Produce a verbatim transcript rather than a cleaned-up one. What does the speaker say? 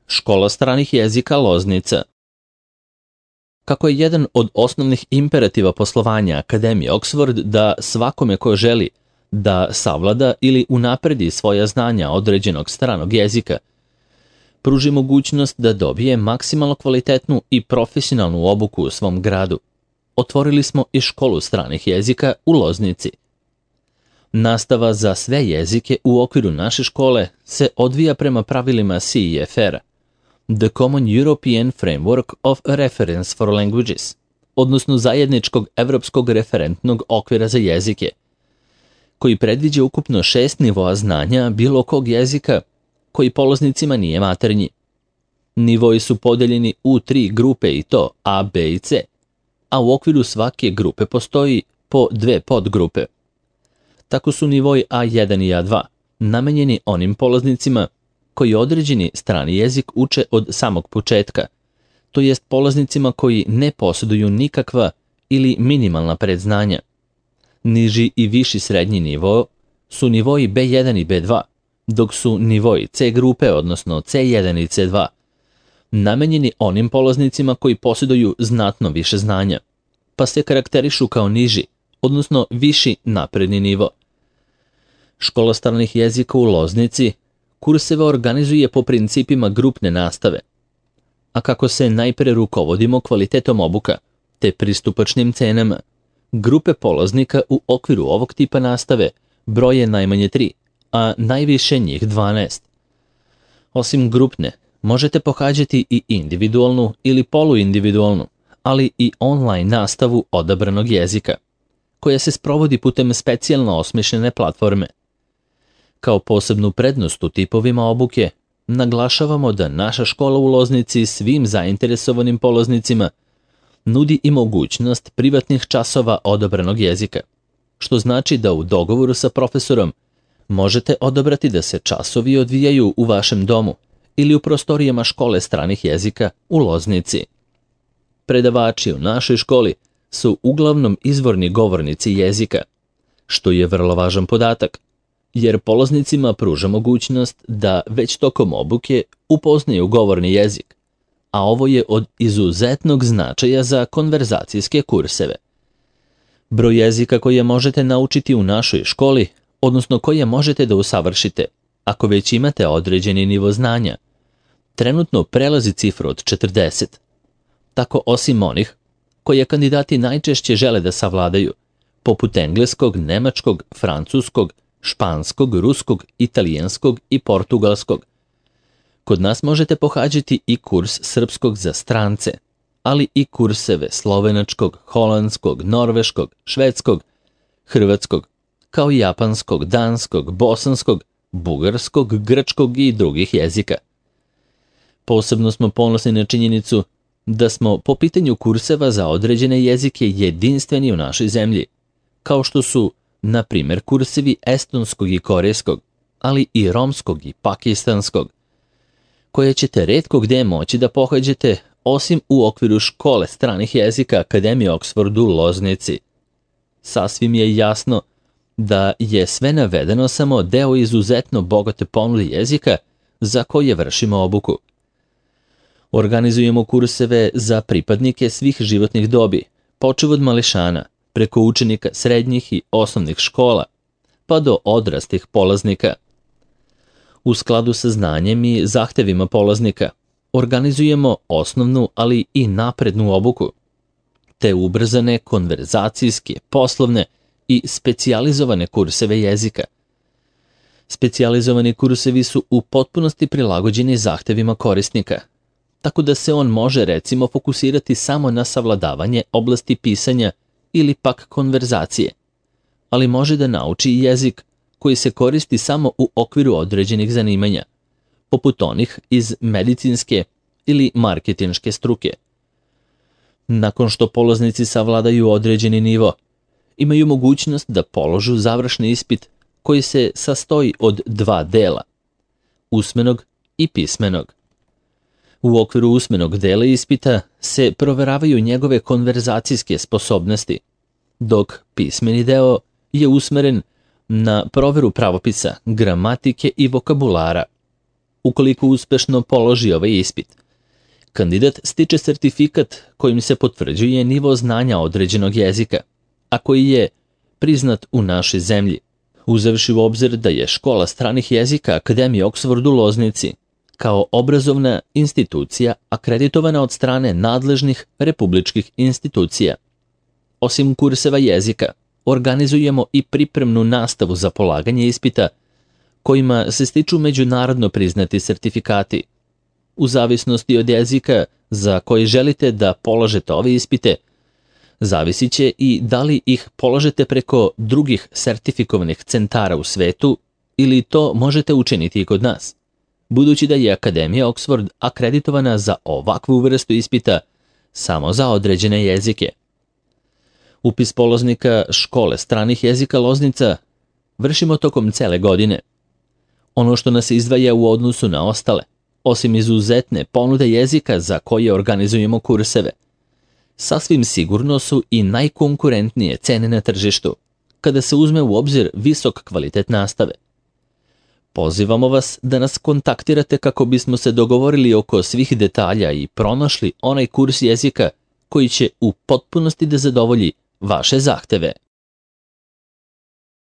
Škola stranih jezika Loznica. Kako je jedan od osnovnih imperativa poslovanja Akademije Oxford da svakome ko želi da savlada ili unapredi svoja znanja određenog stranog jezika, pruži mogućnost da dobije maksimalno kvalitetnu i profesionalnu obuku u svom gradu, otvorili smo i školu stranih jezika u Loznici. Nastava za sve jezike u okviru naše škole se odvija prema pravilima C E F R-a, The Common European Framework of Reference for Languages, odnosno zajedničkog evropskog referentnog okvira za jezike, koji predviđa ukupno šest nivoa znanja bilo kog jezika koji polaznicima nije maternji. Nivoi su podeljeni u tri grupe i to A, B i C, a u okviru svake grupe postoji po dve podgrupe. Tako su nivoi A jedan i A dva namenjeni onim polaznicima koji određeni strani jezik uče od samog početka, to jest polaznicima koji ne posjeduju nikakva ili minimalna predznanja. Niži i viši srednji nivo su nivoi B jedan i B dva, dok su nivoi C grupe, odnosno C jedan i C dva, namenjeni onim polaznicima koji posjeduju znatno više znanja, pa se karakterišu kao niži, odnosno viši napredni nivo. Škola stranih jezika u Loznici kurseve organizuje po principima grupne nastave, a kako se najpre rukovodimo kvalitetom obuka te pristupačnim cenama, grupe polaznika u okviru ovog tipa nastave broje najmanje tri, a najviše njih dvanaest. Osim grupne, možete pohađati i individualnu ili poluindividualnu, ali i online nastavu odabranog jezika, koja se sprovodi putem specijalno osmišljene platforme. Kao posebnu prednost u tipovima obuke, naglašavamo da naša škola u Loznici svim zainteresovanim polaznicima nudi i mogućnost privatnih časova odabranog jezika, što znači da u dogovoru sa profesorom možete odabrati da se časovi odvijaju u vašem domu ili u prostorijama škole stranih jezika u Loznici. Predavači u našoj školi su uglavnom izvorni govornici jezika, što je vrlo važan podatak, jer polaznicima pruža mogućnost da već tokom obuke upoznaju govorni jezik, a ovo je od izuzetnog značaja za konverzacijske kurseve. Broj jezika koje možete naučiti u našoj školi, odnosno koje možete da usavršite, ako već imate određeni nivo znanja, trenutno prelazi cifru od četrdeset. Tako osim onih koje kandidati najčešće žele da savladaju, poput engleskog, nemačkog, francuskog, španskog, ruskog, italijanskog i portugalskog. Kod nas možete pohađati i kurs srpskog za strance, ali i kurseve slovenačkog, holandskog, norveškog, švedskog, hrvatskog, kao i japanskog, danskog, bosanskog, bugarskog, grčkog i drugih jezika. Posebno smo ponosni na činjenicu da smo po pitanju kurseva za određene jezike jedinstveni u našoj zemlji, kao što su, na primjer, kursevi estonskog i korejskog, ali i romskog i pakistanskog, koje ćete retko gde moći da pohađate osim u okviru škole stranih jezika Akademije Oxford u Loznici. Sasvim je jasno da je sve navedeno samo deo izuzetno bogate ponude jezika za koje vršimo obuku. Organizujemo kurseve za pripadnike svih životnih dobi, počev od mališana, preko učenika srednjih i osnovnih škola, pa do odrastih polaznika. U skladu sa znanjem i zahtevima polaznika, organizujemo osnovnu, ali i naprednu obuku, te ubrzane konverzacijske, poslovne i specijalizovane kurseve jezika. Specijalizovani kursevi su u potpunosti prilagođeni zahtevima korisnika, tako da se on može recimo fokusirati samo na savladavanje oblasti pisanja ili pak konverzacije, ali može da nauči i jezik koji se koristi samo u okviru određenih zanimanja, poput onih iz medicinske ili marketinške struke. Nakon što polaznici savladaju određeni nivo, imaju mogućnost da položu završni ispit koji se sastoji od dva dela, usmenog i pismenog. U okviru usmenog dela ispita se proveravaju njegove konverzacijske sposobnosti, dok pismeni deo je usmeren na proveru pravopisa, gramatike i vokabulara. ukoliko uspešno položi ovaj ispit. Kandidat stiče sertifikat kojim se potvrđuje nivo znanja određenog jezika, a koji je priznat u našoj zemlji, uzevši u obzir da je Škola stranih jezika Akademije Oxford u Loznici kao obrazovna institucija akreditovana od strane nadležnih republičkih institucija. Osim kurseva jezika, organizujemo i pripremnu nastavu za polaganje ispita, kojima se stiču međunarodno priznati sertifikati. U zavisnosti od jezika za koji želite da polažete ove ispite, zavisit će i da li ih polažete preko drugih sertifikovanih centara u svetu ili to možete učiniti i kod nas, budući da je Akademija Oxford akreditovana za ovakvu vrstu ispita samo za određene jezike. Upis polaznika Škole stranih jezika Loznica vršimo tokom cele godine. Ono što nas izdvaja u odnosu na ostale, osim izuzetne ponude jezika za koje organizujemo kurseve, sasvim sigurno su i najkonkurentnije cene na tržištu, kada se uzme u obzir visok kvalitet nastave. Pozivamo vas da nas kontaktirate kako bismo se dogovorili oko svih detalja i pronašli onaj kurs jezika koji će u potpunosti da zadovolji vaše zahteve.